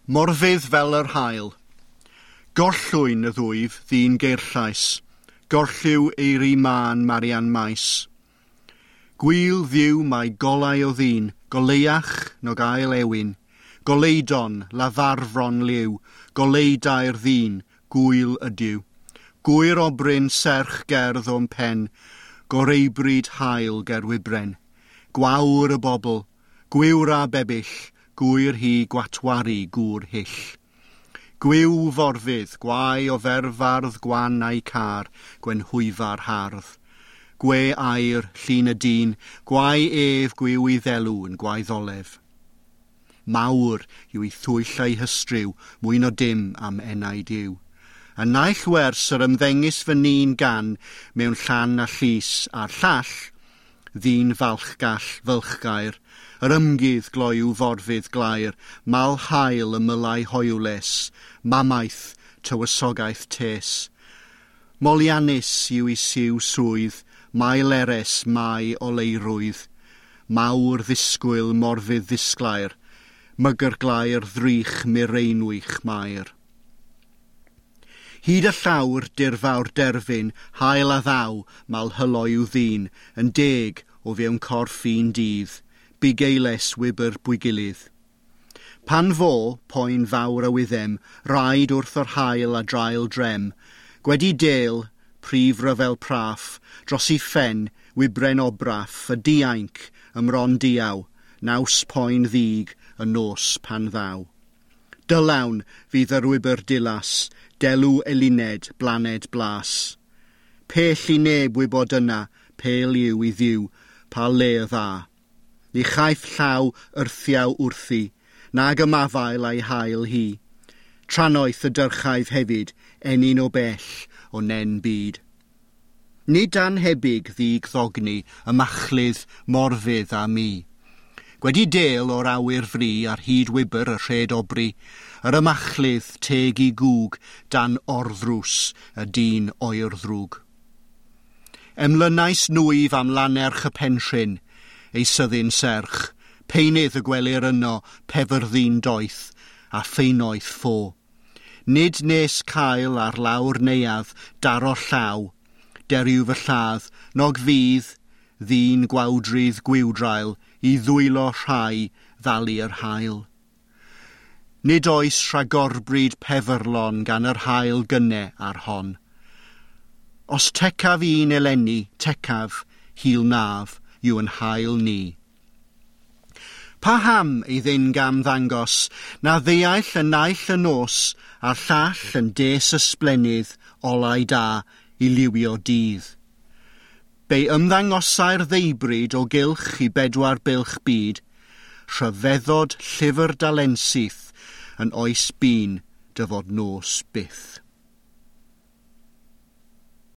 Morfudd fel yr haul. Gorllwyn y ddwyf ddyn geirllais, gorlliw eiri mân Marian Maes. Gwyl ddiw mae golau o ddyn, goleuach nog ail ewin, goleudon, lafarfron liw, goleudai'r ddyn, gwyl ydyw. Gwyr obryn serch gerdd o'm pen, goreubryd haul ger wybren. Gwawr y bobl, gwiwra bebyll, gwyr hi gwatwaru gŵr hyll. Gwiw forfydd, gwae o ferfardd gwan a'i car, gwenhwyfar hardd. Gwe air, llun y dyn, gwae ef gwiw i ddelw yn gwaeddolef. Mawr yw ei thwyll a'i hystryw, mwy no dim am enaid yw. Y naill wers yr ymddengys fy nîn gan mewn llan a llys a'r llall, ddyn falchgall fylchgair, yr ymgydd gloyw forfydd glaer, mal hael ymylau hoywles, mamaeth tywysogaeth tes. Moliannus yw i siw swydd, mae leres mae oleirwydd, mawr ddisgwyl morfydd ddisglair, mygyrglair ddrych mireinwych mair. Hyd y llawr dirfawr derfyn, hael a ddaw, mal hyloyw ddyn, yn deg o fewn corff un dydd, bugeiles wybr bwygilydd. Pan fo, poen fawr a wyddem, rhaid wrth yr hael a draul drem, gwedi del, prif ryfel praff, dros i ffen, wybren obraff, y diainc, ymron diaw, naws poen ddig, y nos pan ddaw. Dylawn fydd yr wybr dilas, delw eluned, blaned blas. Pell i neb wybod yna, pel yw i ddiw, pa le dda. Ni chaiff llaw yrthiaw wrthi, nag ymafael a'i hael hi. Trannoeth y dyrchaif hefyd, enyn o bell o nen byd. Nid anhebyg ddig ddogni, y machlydd, morfydd a mi. Gwedi del o'r awyr fri ar hyd wybr y rhed obri, yr ymachlydd teg i gŵg dan orddrws y dyn oer ddrwg. Emlynais nwyf am lanerch y penrhyn, ei syddyn serch, peinydd y gwelir yno pefyrddin doeth a ffeinoeth ffo. Nid nes cael ar lawr neuadd daro llaw, deriw fy lladd, nog fydd, ddyn gwawdrydd gwiwdrail i ddwylo rhai ddalu yr haul. Nid oes rhagorbryd pefyrlon gan yr haul gynne ar hon. Os tecaf un eleni, tecaf, hil naf, yw yn hael ni. Paham ei ddyn gam ddangos, na ddeall y naill y nos, a'r llall yn des ysblennydd, olau da, i liwio dydd. Be ymddangosai'r ddeubryd o gylch i bedwar bylch byd, rhyfeddod llyfr dalensyth yn oes bun dyfod nos byth.